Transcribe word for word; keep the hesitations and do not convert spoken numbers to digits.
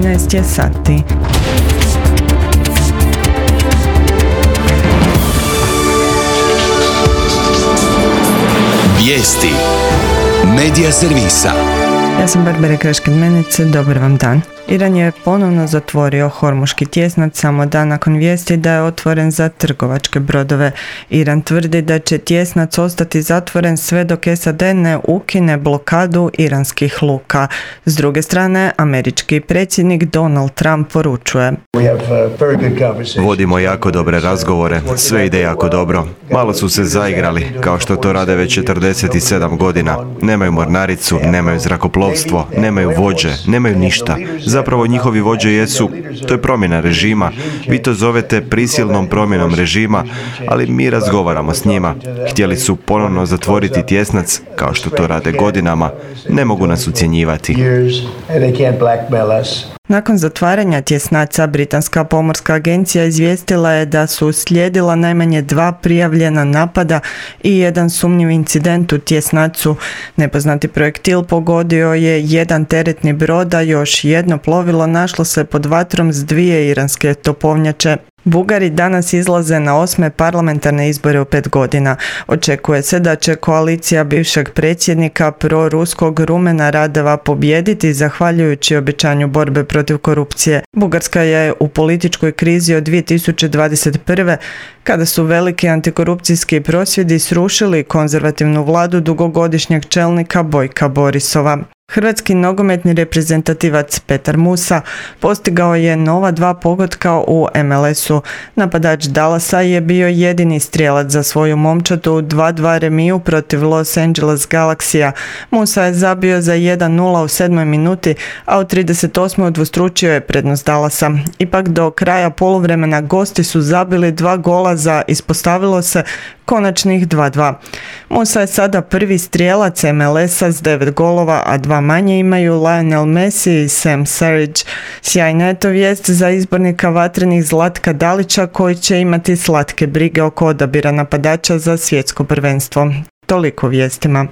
trinaest je sati. Vijesti Medija servisa. Ja sam Barbara Kreškin-Menice, dobar vam dan. Iran je ponovno zatvorio Hormuški tjesnac samo dan nakon vijesti da je otvoren za trgovačke brodove. Iran tvrdi da će tjesnac ostati zatvoren sve dok S A D ne ukine blokadu iranskih luka. S druge strane, američki predsjednik Donald Trump poručuje: Vodimo jako dobre razgovore, sve ide jako dobro. Malo su se zaigrali, kao što to rade već četrdeset sedam godina. Nemaju mornaricu, nemaju zrakoplovstvo, nemaju vođe, nemaju ništa. Zapravo njihovi vođe jesu, to je promjena režima. Vi to zovete prisilnom promjenom režima, ali mi razgovaramo s njima. Htjeli su ponovno zatvoriti tjesnac, kao što to rade godinama. Ne mogu nas ucjenjivati. Nakon zatvaranja tjesnaca, Britanska pomorska agencija izvijestila je da su slijedila najmanje dva prijavljena napada i jedan sumnjiv incident u tjesnacu. Nepoznati projektil pogodio je jedan teretni brod, a još jedno plovilo našlo se pod vatrom s dvije iranske topovnjače. Bugari danas izlaze na osme parlamentarne izbore u pet godina. Očekuje se da će koalicija bivšeg predsjednika proruskog Rumena Radeva pobijediti zahvaljujući obećanju borbe protiv korupcije. Bugarska je u političkoj krizi od dvije tisuće dvadeset prve. kada su veliki antikorupcijski prosvjedi srušili konzervativnu vladu dugogodišnjeg čelnika Bojka Borisova. Hrvatski nogometni reprezentativac Petar Musa postigao je nova dva pogotka u M L S-u. Napadač Dallasa je bio jedini strijelac za svoju momčad u dva dva remiju protiv Los Angeles Galaxija. Musa je zabio za jedan nula u sedmoj minuti, a u trideset osmoj udvostručio je prednost Dallasa. Ipak do kraja poluvremena gosti su zabili dva gola za, ispostavilo se, konačnih dva dva. Musa je sada prvi strijelac M L S-a s devet golova, a dva manje imaju Lionel Messi i Sam Surridge. Sjajna je to vijest za izbornika vatrenih Zlatka Dalića, koji će imati slatke brige oko odabira napadača za svjetsko prvenstvo. Toliko vijestima.